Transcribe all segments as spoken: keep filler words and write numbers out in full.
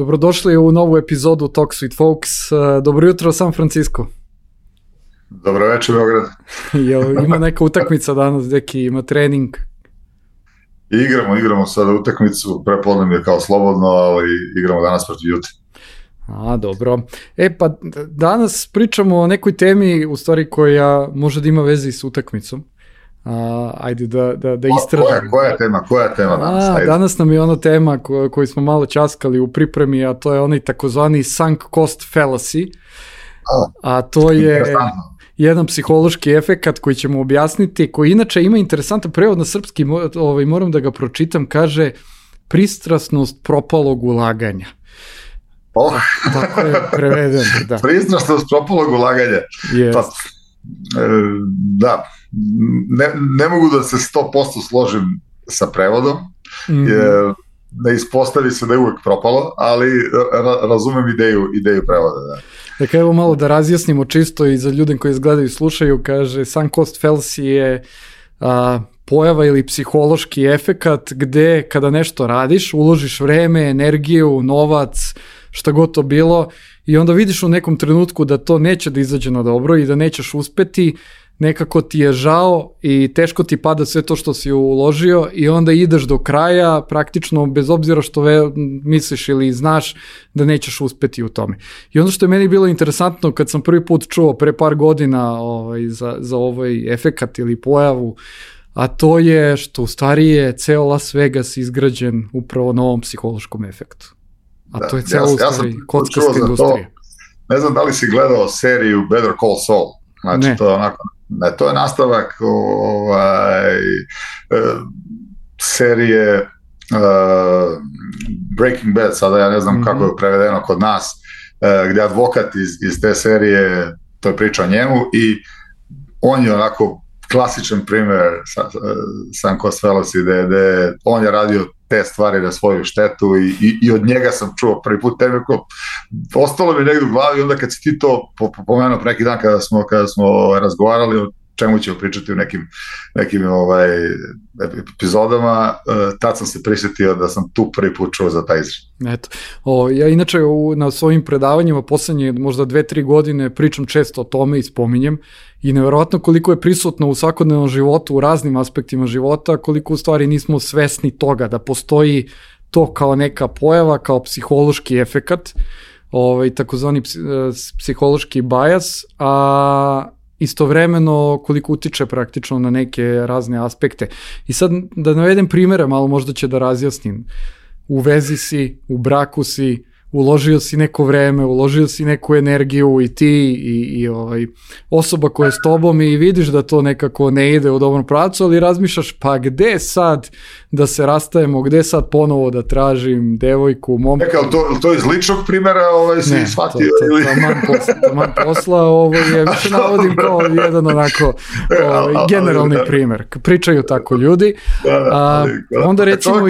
Dobrodošli u novu epizodu Talk with Folks. Dobro jutro, San Francisco. Dobro večer, Beograd. Jel, ima neka utakmica danas, deki, ima trening? Igramo, igramo sada utakmicu, prepodne je kao slobodno, ali igramo danas protiv Jute. A, dobro. E, pa danas pričamo o nekoj temi, u stvari koja može da ima veze s utakmicom. A, ajde da, da, da istražimo. Koja, koja je tema, koja je tema danas? A, danas nam je ona tema ko, koju smo malo časkali u pripremi, a to je onaj takozvani sunk cost fallacy. A, a to je jedan psihološki efekat koji ćemo objasniti, koji inače ima interesantan prevod na srpski, ovaj, moram da ga pročitam, kaže pristrasnost propalog ulaganja. Oh. Tako je prevedeno, da. Pristrasnost propalog ulaganja. Yes. Pa, e, da, ne, ne mogu da se sto posto složim sa prevodom, mm. jer ne ispostavi se da je uvek propalo, ali ra, razumem ideju, ideju prevoda, da. Dakle, evo malo da razjasnimo čisto i za ljude koji izgledaju i slušaju, kaže, sunk cost fallacy je a, pojava ili psihološki efekat gde kada nešto radiš, uložiš vreme, energiju, novac, šta god to bilo i onda vidiš u nekom trenutku da to neće da izađe na dobro i da nećeš uspeti, nekako ti je žao i teško ti pada sve to što si uložio i onda ideš do kraja praktično bez obzira što ve, misliš ili znaš da nećeš uspeti u tome. I ono što je meni bilo interesantno kad sam prvi put čuo pre par godina ovaj, za, za ovaj efekat ili pojavu, a to je što u stvari je ceo Las Vegas izgrađen upravo na ovom psihološkom efektu. A da, to je celo ja, u stvari ja kockasta industrija. Ne znam da li si gledao seriju Better Call Saul. Znači ne. To je onako, ne, to je nastavak ovaj, serije uh, Breaking Bad, sada ja ne znam mm-hmm. kako je prevedeno kod nas, uh, gde advokat iz, iz te serije, to je priča o njemu i on je onako klasičan primer sunk cost fallacy, gde, gde on je radio te stvari na svoju štetu i, i, i od njega sam čuo prvi put tebe ko ostalo mi negdje u glavi, onda kad si ti to pomenuo pre neki dan kada smo, kada smo razgovarali o čemu ćemo pričati u nekim, nekim ovaj, epizodama, tad sam se prisjetio da sam tu prvi put čuo za taj izraz. Eto, o, ja inače u, na svojim predavanjima poslednje možda dve, tri godine pričam često o tome i spominjem i nevjerovatno koliko je prisutno u svakodnevnom životu, u raznim aspektima života, koliko u stvari nismo svesni toga da postoji to kao neka pojava, kao psihološki efekat, ovaj, takozvani psihološki bias, a istovremeno koliko utiče praktično na neke razne aspekte. I sad da navedem primere, malo možda će da razjasnim. U vezi si, u braku si, uložio si neko vreme, uložio si neku energiju i ti i, i ovaj, osoba koja je s tobom i vidiš da to nekako ne ide u dobrom pravcu, ali razmišljaš pa gde sad da se rastajemo, gde sad ponovo da tražim devojku, momku. Neka, to, to iz ličnog primjera ovaj, si ne, shvatio? Ne, to, to, to, man posla, to man posla ovo je, više navodim kao jedan onako ovaj, generalni primer. Pričaju tako ljudi. Da, da, ali, A, onda recimo...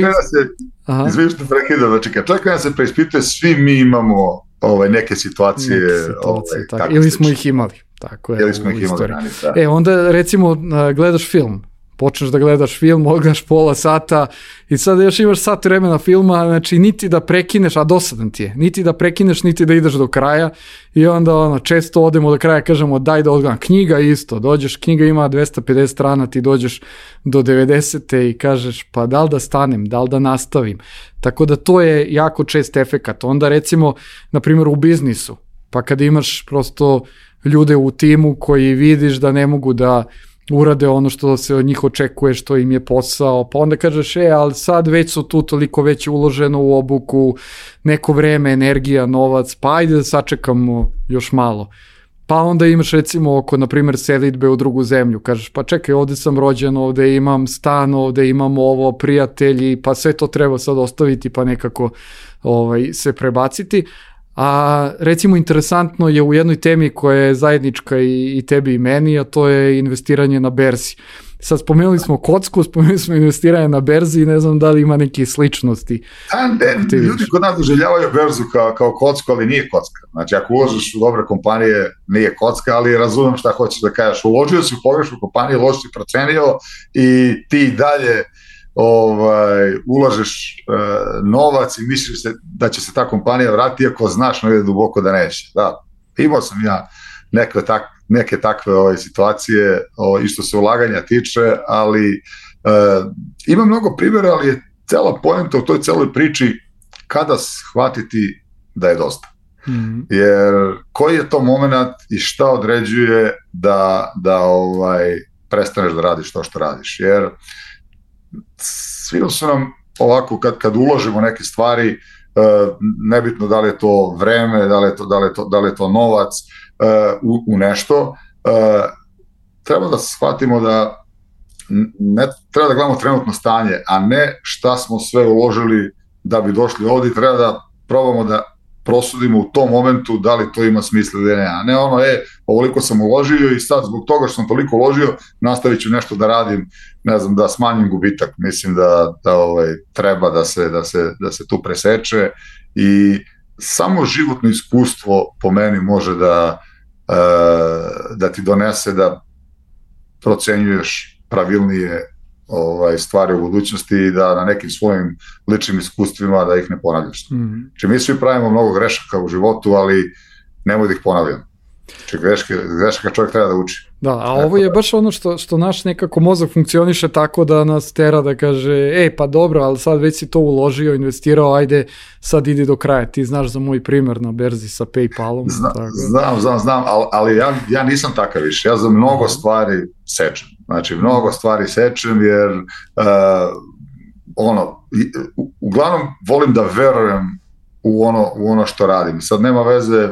Izvijem što prekidam, znači kad čovjek kada se preispituje, svi mi imamo ovaj, neke situacije, neke situacije ovaj, tako, tako ili smo ih imali. Tako je, ili smo ih imali rani, da. E, onda recimo gledaš film, počneš da gledaš film, odgledaš pola sata i sad još imaš sat vremena filma, znači niti da prekineš, a dosadan ti je, niti da prekineš, niti da ideš do kraja i onda ono, često odemo do kraja, kažemo daj da odgledam. Knjiga isto, dođeš, knjiga ima dvesta pedeset strana, ti dođeš do devedesete i kažeš pa da li da stanem, da li da nastavim. Tako da to je jako čest efekat. Onda recimo, na primjer u biznisu, pa kada imaš prosto ljude u timu koji vidiš da ne mogu da urade ono što se od njih očekuje, što im je posao, pa onda kažeš, e, ali sad već su tu toliko već uloženo u obuku, neko vreme, energija, novac, pa ajde da sačekamo još malo. Pa onda imaš recimo oko, na primjer, selidbe u drugu zemlju, kažeš, pa čekaj, ovde sam rođen, ovde imam stan, ovde imam ovo, prijatelji, pa sve to treba sad ostaviti, pa nekako ovaj, se prebaciti. A recimo interesantno je u jednoj temi koja je zajednička i, i tebi i meni, a to je investiranje na berzi. Sad spomenuli smo kocku, spomenuli smo investiranje na berzi i ne znam da li ima neke sličnosti. A, ne, ljudi kod nas doželjavaju berzu kao, kao kocku, ali nije kocka. Znači ako uložiš u dobre kompanije, nije kocka, ali razumem šta hoćeš da kažeš. Uložio si u pogrešnu kompaniju, loš si procenio i ti dalje ovaj, ulažeš uh, novac i misliš se da će se ta kompanija vratiti, ako znaš negdje duboko da neće. Da, imao sam ja neke, tak, neke takve ove, situacije, ove, i što se ulaganja tiče, ali uh, ima mnogo primjera, ali je cela poenta u toj celoj priči kada shvatiti da je dosta. Mm-hmm. Jer koji je to moment i šta određuje da, da ovaj, prestaneš da radiš to što radiš. Jer svi su nam ovako, kad, kad uložimo neke stvari, uh, nebitno da li je to vreme, da li je to, da li je to, da li je to novac uh, u, u nešto, uh, treba da shvatimo da ne treba da gledamo trenutno stanje, a ne šta smo sve uložili da bi došli ovdje. Treba da probamo da prosudimo u tom momentu da li to ima smisla ili ne, a ne ono, e, ovoliko sam uložio i sad zbog toga što sam toliko uložio nastavit ću nešto da radim, ne znam, da smanjim gubitak. Mislim da, da ovaj, treba da se, da, se, da se tu preseče i samo životno iskustvo po meni može da, uh, da ti donese da procenjuješ pravilnije ovaj, stvari u budućnosti i da na nekim svojim ličnim iskustvima da ih ne ponavljaš. Mm-hmm. Či mi svi pravimo mnogo grešaka u životu, ali nemoj da ih ponavljam. Či greške, grešaka čovjek treba da uči. Da, a ovo je baš ono što, što naš nekako mozak funkcioniše tako da nas tera da kaže, e pa dobro, ali sad već si to uložio, investirao, ajde sad idi do kraja. Ti znaš za moj primjer na berzi sa PayPalom. Zna, tako. Znam, znam, znam, ali, ali ja, ja nisam takav više. Ja za mnogo stvari sečem. Znači, mnogo stvari sečem jer uh, ono, u, uglavnom volim da verujem u ono, u ono što radim. Sad nema veze,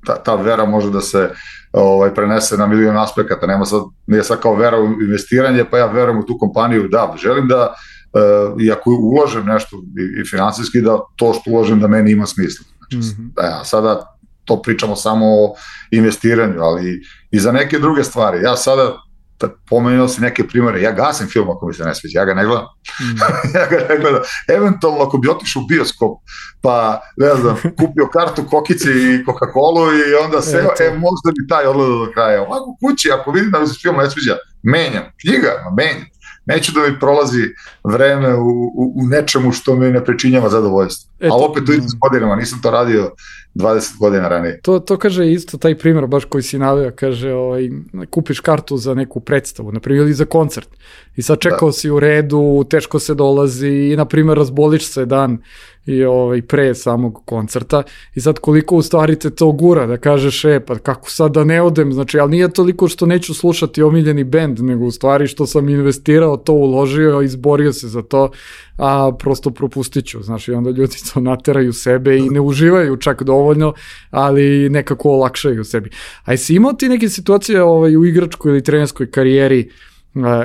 ta, ta vera može da se ovaj, prenese na milion aspekata. Nema sad, nije sad kao vera u investiranje, pa ja verujem u tu kompaniju. Da, želim da, uh, i ako uložem nešto i, i finansijski, da to što uložem da meni ima smisla. Znači, mm-hmm. da, sada to pričamo samo o investiranju, ali i za neke druge stvari. Ja sada pomenuo si neke primere, ja gasim film ako mi se ne sviđa, ja ga ne gledam. Mm. ja ga ne gledam. Eventualno ako bi otišao u bioskop, pa ne znam, kupio kartu kokici i Coca-Colu i onda se, e, e možda bi taj odgledao do kraja. Ovako kući, ako vidim da mi se film ne sviđa, menjam. Knjiga, menjam. Neću da mi prolazi vreme u, u, u nečemu što mi ne pričinjava zadovoljstvo. E, ali opet tu idem s godinama, nisam to radio dvadeset godina ranije. To, to kaže isto taj primjer, baš koji si naveo, kaže, ovaj, kupiš kartu za neku predstavu, na primjer, ili za koncert. I sad čekao da. si u redu, teško se dolazi i, na primjer, razboliš se dan i ovaj, pre samog koncerta i sad koliko u stvari te to gura, da kažeš, e, pa kako sad da ne odem, znači, ali nije toliko što neću slušati omiljeni bend, nego u stvari što sam investirao, to uložio, izborio se za to, a prosto propustit ću, znači, i onda ljudi to nateraju sebe i ne uživaju čak dovoljno, ali nekako olakšaju sebi. A jesi imao ti neke situacije ovaj, u igračkoj ili trenerskoj karijeri,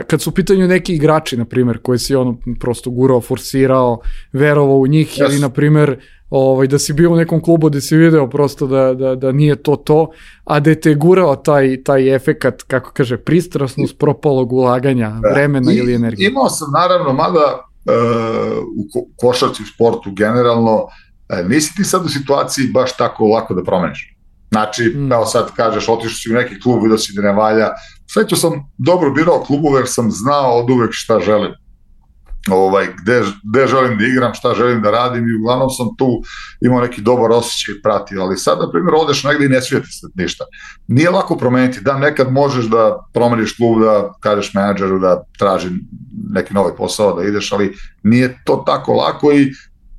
kad su u pitanju neki igrači, na primjer, koji si ono prosto gurao, forsirao, verovao u njih, yes. ili na primjer ovaj, da si bio u nekom klubu gde si video prosto da, da, da nije to to, a da te gurao taj, taj efekat, kako kaže, pristrasnost propalog ulaganja, vremena I, ili energije. Imao sam naravno, mada uh, u ko- košarci, u sportu generalno, uh, nisi ti sad u situaciji baš tako lako da promeniš. Znači, mm. evo sad kažeš, otišao si u neki klub, vidio si da ne valja. Sveću sam dobro birao klubove jer sam znao od uvek šta želim. Ovaj, gde, gde želim da igram, šta želim da radim i uglavnom sam tu imao neki dobar osjećaj i pratio. Ali sad, na primjer, odeš negdje i ne svijeti se ništa. Nije lako promeniti. Da, nekad možeš da promeniš klub, da kažeš menadžeru da traži neki novi posao, da ideš, ali nije to tako lako i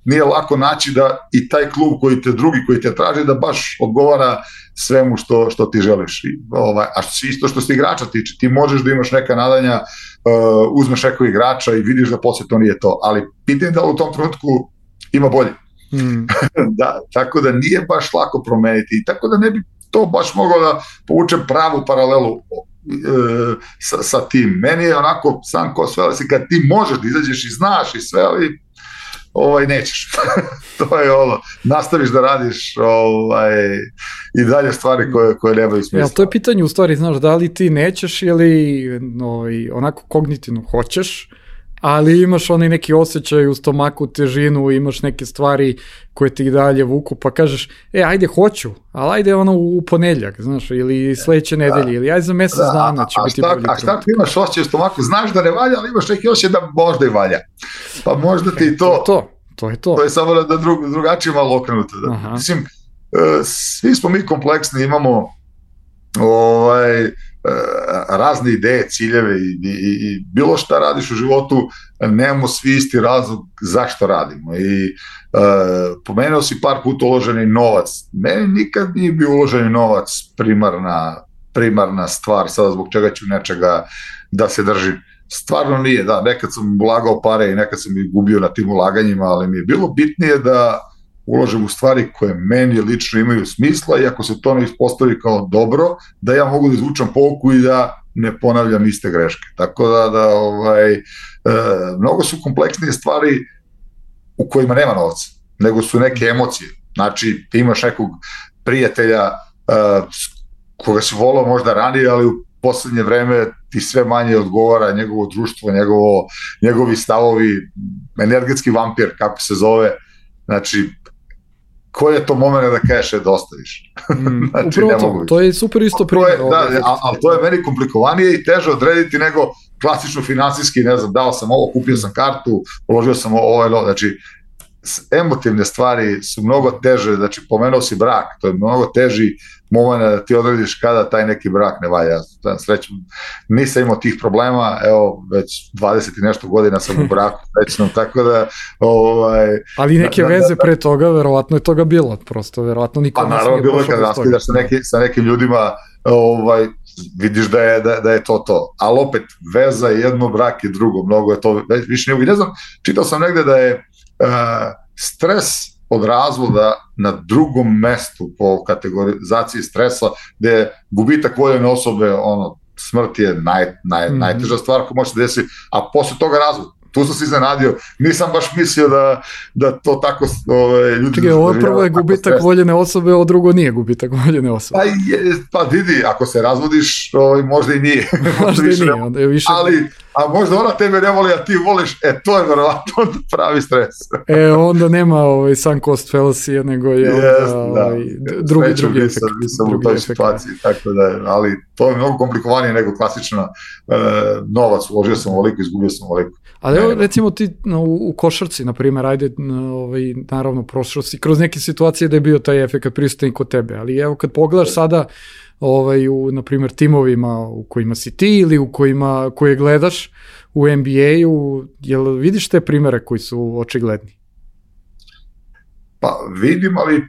nije lako naći da i taj klub koji te drugi koji te traži da baš odgovara svemu što, što ti želiš. I, ovaj, a što, isto što se igrača tiče, ti možeš da imaš neka nadanja, uh, uzmeš nekog igrača i vidiš da poslije to nije to, ali pitanje da u tom trenutku ima bolje. Mm. da, tako da nije baš lako promeniti i tako da ne bi to baš mogao da povučem pravu paralelu uh, sa, sa tim. Meni je onako sam ko sve, ali kad ti možeš da izađeš i znaš i sve, ali ovaj, nećeš. to je ono, nastaviš da radiš ovaj, i dalje stvari koje, koje nemaju smisla. Ja, to je pitanje u stvari, znaš, da li ti nećeš ili ovaj, onako kognitivno hoćeš, ali imaš onaj neki osjećaj u stomaku, težinu, imaš neke stvari koje ti dalje vuku, pa kažeš, e, ajde, hoću, ali ajde ono u ponedjeljak, znaš, ili sledeće nedelje, ili ajde za mesec da, dana će a, biti šta, bolji. A šta ti imaš osjećaj u stomaku? Znaš da ne valja, ali imaš neki osjećaj da možda i valja. Pa možda ti e, to... To, to je to. To je samo da drug, drugačije malo okrenuto. Da. Mislim, svi smo mi kompleksni, imamo ovaj, razne ideje, ciljeve i, i, i bilo šta radiš u životu, nemamo svi isti razlog zašto radimo. I uh, pomenuo si par puta uloženi novac. Meni nikad nije bio uloženi novac primarna, primarna stvar, sada zbog čega ću nečega da se držim. Stvarno nije, da, nekad sam ulagao pare i nekad sam ih gubio na tim ulaganjima, ali mi je bilo bitnije da uložim u stvari koje meni lično imaju smisla i ako se to ne ispostavi kao dobro, da ja mogu da izvučam pouku i da ne ponavljam iste greške. Tako da, da ovaj, e, mnogo su kompleksnije stvari u kojima nema novca, nego su neke emocije. Znači, ti imaš nekog prijatelja e, koga si volao možda ranije, ali u poslednje vreme ti sve manje odgovara njegovo društvo, njegovo, njegovi stavovi, energetski vampir, kako se zove. Znači, koji je to moment da kažeš je da ostaviš? Mm, znači, upravo to, to je super isto primjer. Da, ali to je meni komplikovanije i teže odrediti nego klasično finansijski, ne znam, dao sam ovo, kupio sam kartu, uložio sam ovo, ovo, znači, emotivne stvari su mnogo teže, znači pomenuo si brak, to je mnogo teži moment da ti odrediš kada taj neki brak ne valja. Srećom, nisam imao tih problema, evo već dvadeset i nešto godina sam u braku srećnom, tako da ovaj, ali neke da, veze da, da, pre toga, verovatno je toga bilo, prosto, verovatno niko pa naravno bilo kad raskidaš sa, neki, sa nekim ljudima, ovaj, vidiš da je, da, da je to to, ali opet veza je jedno, brak je drugo, mnogo je to, više ne, ne znam, čitao sam negde da je Uh, stres od razvoda na drugom mestu po kategorizaciji stresa, gde je gubitak voljene osobe, ono, smrt je naj, naj, mm-hmm. najteža stvar koja može se desiti, a posle toga razvod. Tu sam se iznenadio, nisam baš mislio da, da to tako ove, ljudi... Čekaj, ovo prvo je gubitak stres. Voljene osobe, ovo drugo nije gubitak voljene osobe. Pa, je, pa vidi, ako se razvodiš, ovaj, možda i nije. možda i nije, onda je više... Ali, a možda ona tebe ne voli, a ti voliš, e, to je verovatno pravi stres. e, onda nema ovaj, sunk cost fallacy, nego je onda, yes, da. ovaj, drugi, Sreću, drugi nisam, efekt. Nisam drugi u toj efekt, situaciji, da. Tako da, ali to je mnogo komplikovanije nego klasična e, novac, uložio sam ovoliko, izgubio sam ovoliko. Ali evo, recimo ti no, u, u košarci, na primjer, ajde, ovaj, naravno, prošao si kroz neke situacije da je bio taj efekt prisutan i kod tebe, ali evo kad pogledaš sada ovaj, u, na primjer, timovima u kojima si ti ili u kojima, koje gledaš u N B A-u, jel vidiš te primjere koji su očigledni? Pa vidim, ali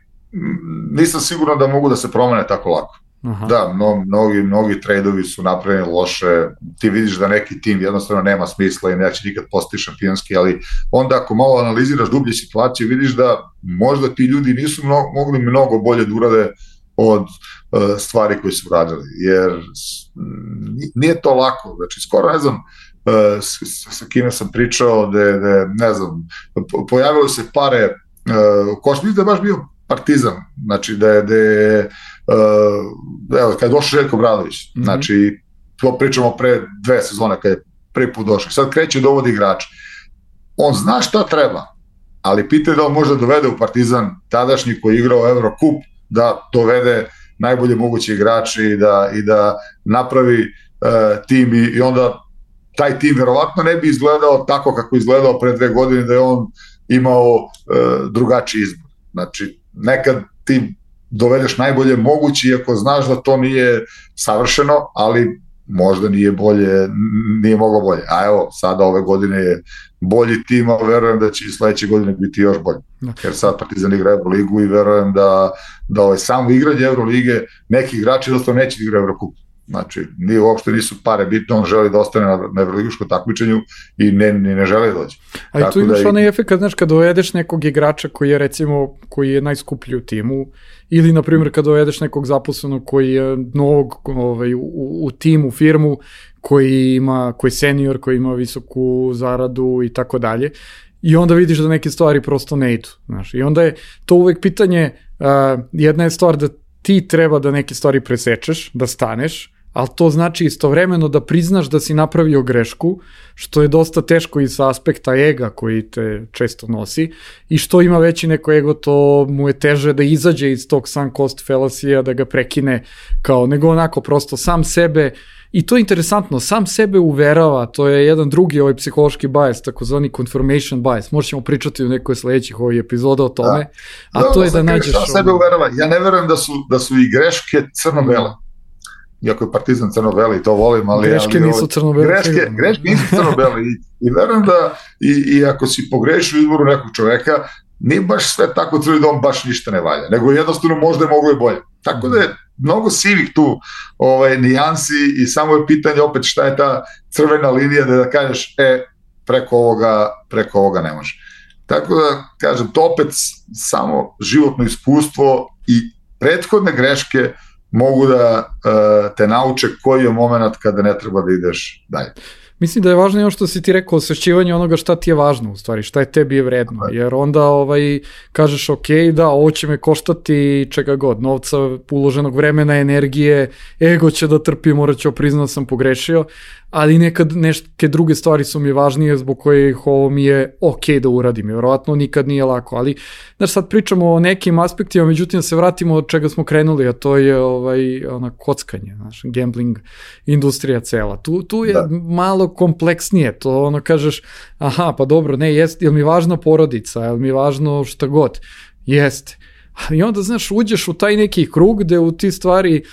nisam siguran da mogu da se promene tako lako. Aha. Da, mno, mnogi, mnogi tradeovi su napravljeni loše, ti vidiš da neki tim jednostavno nema smisla i neće nikad postati šampionski, ali onda ako malo analiziraš dublje situacije, vidiš da možda ti ljudi nisu mnogo, mogli mnogo bolje da urade od uh, stvari koje su radili, jer nije to lako, znači skoro ne znam uh, s, s, sa kime sam pričao, da ne znam, pojavilo se pare, uh, ko što mislim da je baš bio Partizan, znači da je, da je uh, evo, kad je došao Željko Obradović, mm-hmm. znači to pričamo pre dve sezone kad je prvi put došao, sad kreće dovodi igrača, on zna šta treba, ali pitanje da on može dovede u Partizan tadašnji koji je igrao Eurocup, da dovede najbolje moguće igrače i da, i da napravi uh, tim i, i onda taj tim verovatno ne bi izgledao tako kako je izgledao pre dve godine da je on imao uh, drugačiji izbor. Znači, nekad ti dovedeš najbolje moguće, iako znaš da to nije savršeno, ali možda nije bolje, nije moglo bolje. A evo, sada ove godine je bolji tim, a verujem da će i sledeće godine biti još bolje. Jer sad Partizan igra Euroligu i verujem da, da ovaj samo igranje Eurolige, neki igrači jednostavno neće igra Eurocup. Znači, nije, uopšte nisu pare bitno, on želi da ostane na, na evroligaškom takmičenju i ne, ne, ne žele doći. A i tu imaš da onaj efekt, znaš, kad dovedeš nekog igrača koji je, recimo, koji je najskuplji u timu, ili, na primjer, kad dovedeš nekog zaposlenog koji je novog ovaj, u, u timu, firmu, koji ima, koji je senior, koji ima visoku zaradu i tako dalje, i onda vidiš da neke stvari prosto ne idu, znaš, i onda je to uvek pitanje, uh, jedna je stvar da ti treba da neke stvari presečeš, da staneš, ali to znači istovremeno da priznaš da si napravio grešku, što je dosta teško i sa aspekta ega koji te često nosi, i što ima veći neko ego, to mu je teže da izađe iz tog sunk cost fallacy-a, da ga prekine, kao nego onako prosto sam sebe. I to je interesantno, sam sebe uverava, to je jedan drugi ovaj psihološki bias, takozvani confirmation bias, možda ćemo pričati u nekoj sledećih ovih epizoda o tome, da. a da, to je da nađeš... Sam sebe uverava, ja ne verujem da su, da su i greške crno-bele, iako je Partizan crno-beli, to volim, ali... Greške ali, nisu crno-bele. Greške, greške nisu crno-bele i, i verujem da i, i ako si pogreši u izboru nekog čoveka, nije baš sve tako crveni dom, baš ništa ne valja, nego jednostavno možda je moglo i bolje. Tako da je mnogo sivih tu ovaj, nijansi i samo je pitanje opet šta je ta crvena linija da, da kažeš, e, preko ovoga, preko ovoga ne može. Tako da, kažem, to opet samo životno iskustvo i prethodne greške mogu da uh, te nauče koji je moment kada ne treba da ideš dalje. Mislim da je važno i ono što si ti rekao, osvešćivanje onoga šta ti je važno, u stvari, šta je tebi je vredno, jer onda ovaj, kažeš ok, da, ovo će me koštati čega god, novca, uloženog vremena, energije, ego će da trpi, morat ću priznati da sam pogrešio, ali nekad neke druge stvari su mi važnije zbog kojih ovo mi je ok da uradim, vjerovatno nikad nije lako, ali znaš, sad pričamo o nekim aspektima, međutim se vratimo od čega smo krenuli, a to je ovaj, ona kockanje, znaš, gambling industrija cela, tu, tu je da. malo kompleksnije, to ono kažeš, aha, pa dobro, ne, jest, je li mi važna porodica, je li mi važno šta god, jeste. I onda, znaš, uđeš u taj neki krug gde u ti stvari,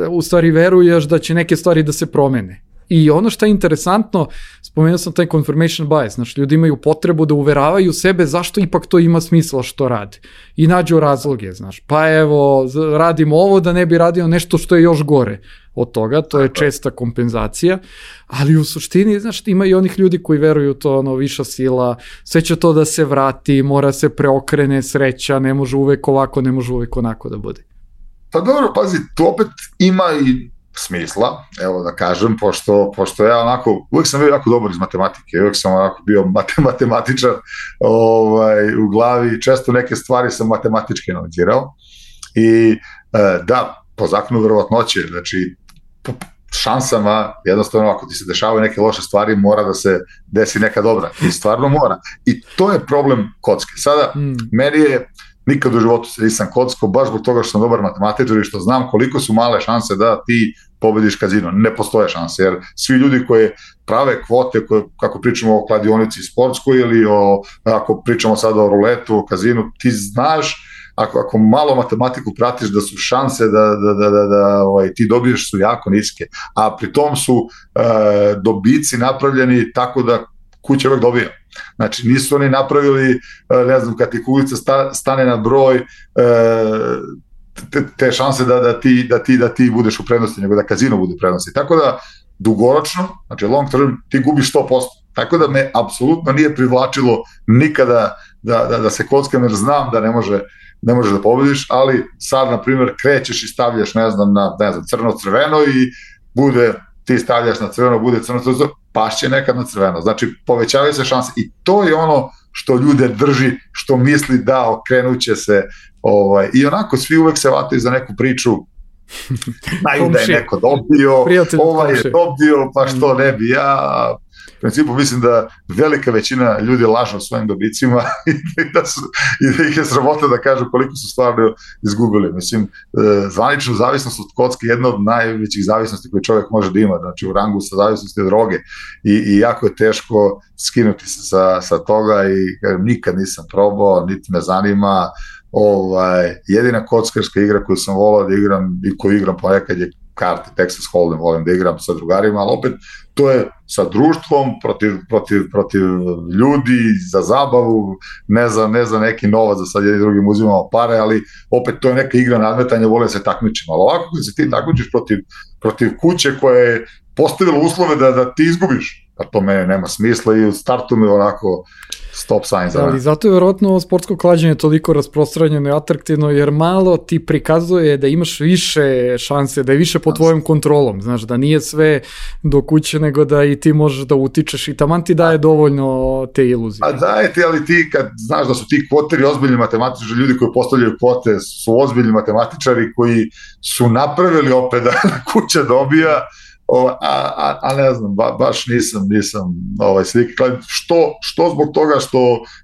u stvari veruješ da će neke stvari da se promene. I ono što je interesantno, spomenuo sam taj confirmation bias, znači ljudi imaju potrebu da uveravaju sebe zašto ipak to ima smisla što rade. I nađu razloge, znaš, pa evo, radim ovo da ne bi radio nešto što je još gore od toga, to je česta kompenzacija, ali u suštini, znaš, ima i onih ljudi koji veruju to, ono, viša sila, sve će to da se vrati, mora se preokrene sreća, ne može uvek ovako, ne može uvek onako da bude. Pa dobro, pazi, to opet ima i smisla, evo da kažem, pošto, pošto ja onako, uvijek sam bio jako dobar iz matematike, uvijek sam onako bio matematičar ovaj, u glavi, često neke stvari sam matematički analizirao i e, da, po zakonu verovatnoće, znači po šansama, jednostavno ako ti se dešavaju neke loše stvari, mora da se desi neka dobra i stvarno mora. I to je problem kocke. Sada, mm. meni je nikad u životu se nisam kockao, baš zbog toga što sam dobar matematičar i što znam koliko su male šanse da ti pobediš kazino. Ne postoje šanse, jer svi ljudi koji prave kvote, koje, kako pričamo o kladionici sportskoj ili o, ako pričamo sada o ruletu, o kazinu, ti znaš, ako, ako malo matematiku pratiš, da su šanse da, da, da, da, da ovaj, ti dobiješ su jako niske, a pri tom su e, dobici napravljeni tako da kuća uvek dobija. Znači, nisu oni napravili, ne znam, kad ti kulica sta, stane na broj, te, te šanse da, da, ti, da, ti, da ti budeš u prednosti, nego da kazino bude u prednosti. Tako da, dugoročno, znači long term, ti gubiš sto posto. Tako da me apsolutno nije privlačilo nikada da, da, da se kockam, jer znam da ne može ne možeš da pobediš, ali sad, na primjer, krećeš i stavljaš, ne znam, na ne znam, crno-crveno i bude, ti stavljaš na crveno, bude crno-crveno, pašće nekad na crveno. Znači, povećavaju se šanse i to je ono što ljude drži, što misli da okrenuće se, ovaj, i onako svi uvek se vataju za neku priču, znaju da je neko dobio, Prijatelj ovaj je dobio, pa što ne bi ja. U principu mislim da velika većina ljudi laže o svojim dobicima i da, su, i da ih je sramota da kažu koliko su stvarno izgubili. Mislim, zvaničnu zavisnost od kocke je jedna od najvećih zavisnosti koje čovjek može da ima, znači u rangu sa zavisnosti od droge i, i jako je teško skinuti se sa, sa toga i nikad nisam probao, niti me zanima. Ovaj, jedina kockarska igra koju sam volao da igram i koju igram ponekad je karte, Texas Hold'em, volim da igram sa drugarima, ali opet to je sa društvom, protiv, protiv, protiv ljudi, za zabavu, ne za, ne za neki novac, za sad jednim drugim uzimamo pare, ali opet to je neka igra nadmetanja, volim se takmičiti, ali ovako kad se ti takmičiš protiv, protiv kuće koja je postavila uslove da, da ti izgubiš, a to mene nema smisla i u startu mi onako stop sign za mene. Ali zato je vjerojatno sportsko klađenje toliko rasprostranjeno i atraktivno, jer malo ti prikazuje da imaš više šanse, da je više pod tvojom kontrolom, znaš, da nije sve do kuće, nego da i ti možeš da utičeš i taman ti daje dovoljno te iluzije. A daje ti, ali ti kad znaš da su ti kvoteri ozbiljni matematičari, ljudi koji postavljaju kvote su ozbiljni matematičari koji su napravili opet da kuća dobija, O, a, a, a ne znam, ba, baš nisam, nisam ovaj, slike. Što, što zbog toga što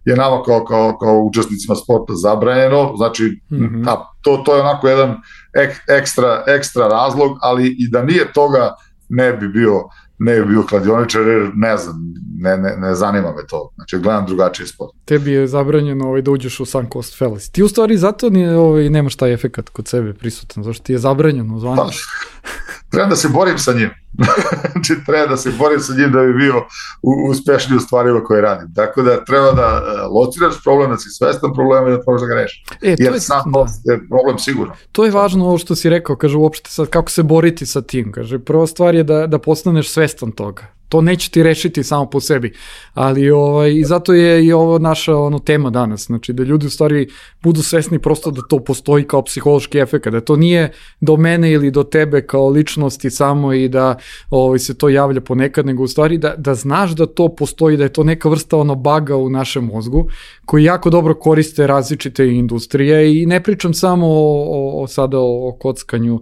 je nama kao, kao, kao učesnicima sporta zabranjeno, znači mm-hmm. ta, to, to je onako jedan ek, ekstra, ekstra razlog, ali i da nije toga ne bi bio, ne bi bio kladioničar, jer ne znam, ne, ne, ne zanima me to, znači gledam drugačiji sport. Tebi je zabranjeno ovaj, da uđeš u Sunk Cost Fallacy. Ti u stvari zato nije, ovaj, nemaš taj efekat kod sebe prisutan, zašto ti je zabranjeno zvaniš? Treba da se borim sa njim. Znači, treba da se borim sa njim da bi bio uspešniji u stvarima koje radim. Tako da treba da lociraš problem, da si svestan problema i da možeš da ga rešiš. E, jer je, sam da. je problem sigurno. To je važno ovo što si rekao, kaže uopšte sad kako se boriti sa tim. Kaže, prva stvar je da, da postaneš svestan toga. To neće ti rešiti samo po sebi, ali ovaj, i zato je i ovo naša ono, tema danas, znači da ljudi u stvari budu svesni prosto da to postoji kao psihološki efekt, da to nije do mene ili do tebe kao ličnosti samo i da ovaj, se to javlja ponekad, nego u stvari da, da znaš da to postoji, da je to neka vrsta ono baga u našem mozgu koji jako dobro koriste različite industrije i ne pričam samo o, o, o sada o, o kockanju,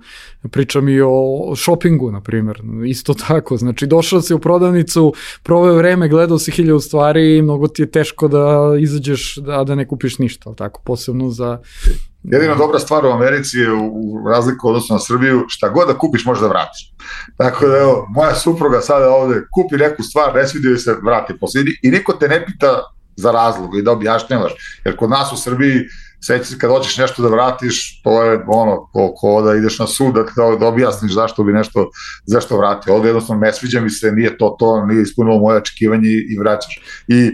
pričam i o shoppingu, na primjer, isto tako, znači došao si u prodavnicu, proveo vreme, gledao si hiljadu stvari i mnogo ti je teško da izađeš, da, da ne kupiš ništa, ali tako, posebno za... Jedina dobra stvar u Americi je u razliku odnosno na Srbiju, šta god da kupiš možeš da vratiš. Tako da evo, moja supruga sada ovde kupi neku stvar, ne svidio se, vrati posljednji i niko te ne pita za razlog i da objašnjavaš, jer kod nas u Srbiji seći se kad hoćeš nešto da vratiš, to je ono, ko, ko da ideš na sud, da, da objasniš zašto bi nešto, zašto vrati. Ovde jednostavno ne sviđa mi se, nije to to, nije ispunilo moje očekivanje i, i vraćaš. I e,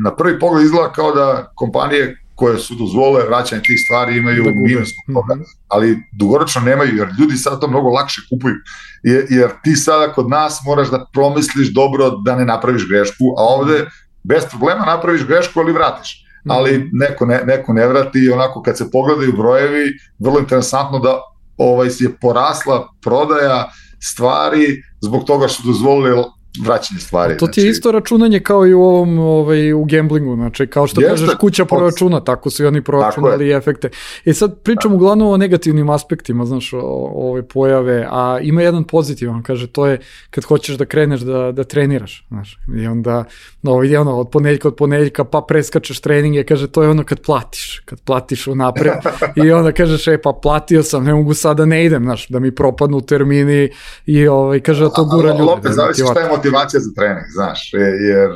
na prvi pogled izgleda kao da kompanije koje su dozvole vraćanje tih stvari imaju minus od toga, ali dugoročno nemaju, jer ljudi sada to mnogo lakše kupuju, jer, jer ti sada kod nas moraš da promisliš dobro da ne napraviš grešku, a ovde bez problema napraviš grešku, ali vratiš. Ali neko ne, neko ne vrati i onako kad se pogledaju brojevi, vrlo interesantno da ovaj, je porasla prodaja stvari zbog toga što dozvolili vraćanje stvari. To ti je znači, isto računanje kao i u ovom ovaj, u gamblingu, znači kao što kažeš kuća proračuna, tako su i oni proračunali efekte. I sad pričam uglavnom o negativnim aspektima, znaš, o, o ove pojave, a ima jedan pozitivan, kaže, to je kad hoćeš da kreneš da, da treniraš, znaš, i onda no, je ono, od ponedeljka od ponedeljka pa preskačeš treninge, kaže, to je ono kad platiš, kad platiš unapred i onda kažeš, e pa platio sam, ne mogu sada ne idem, znaš, da mi propadnu termini i ovaj, kaže da to gura ljude. Opet zavisi šta je motivacija za trening, znaš, jer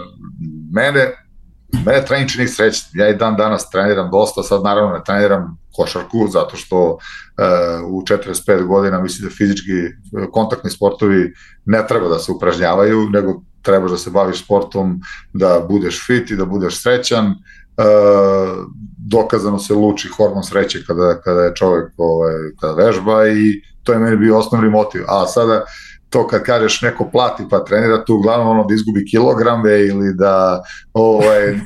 mene, mene trening čini srećnim. Ja i dan danas treniram dosta, sad naravno ne treniram košarku, zato što uh, u četrdeset pet godina mislim da fizički kontaktni sportovi ne treba da se upražnjavaju, nego trebaš da se baviš sportom, da budeš fit i da budeš srećan. Uh, dokazano se luči hormon sreće kada, kada je čovjek ovaj, kada vežba i to je meni bio osnovni motiv. A sada to kad kažeš neko plati pa trenira, tu uglavnom ono da izgubi kilograme ili da ovaj,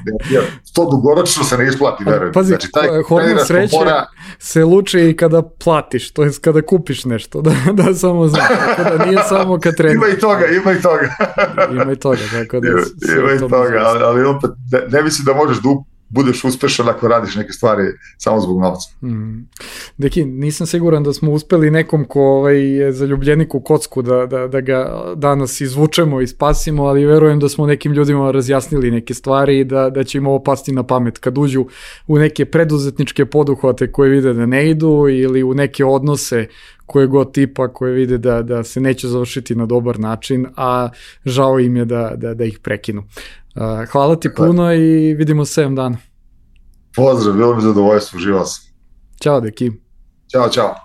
to dugoročno se ne isplati, verujem. Pazi, znači, taj hormon sreće kompora... se luči i kada platiš, to je kada kupiš nešto, da, da samo znaš, tako da nije samo kad treniraš. Ima i toga, ima i toga. ima i toga, tako da... Ima, ima i toga, ali, ali opet ne, ne mislim da možeš da budeš uspešan ako radiš neke stvari samo zbog novca. Mm. Deki, nisam siguran da smo uspeli nekom ko ovaj, je zaljubljenik u kocku da, da, da ga danas izvučemo i spasimo, ali verujem da smo nekim ljudima razjasnili neke stvari i da, da će im ovo pasti na pamet kad uđu u neke preduzetničke poduhvate koje vide da ne idu ili u neke odnose koje god tipa koje vide da, da se neće završiti na dobar način, a žao im je da, da, da ih prekinu. Uh, hvala ti Hvala. puno i vidimo se sedam dana. Pozdrav, bilo mi zadovoljstvo, uživao sam. Ćao, Deki. Ćao, čao.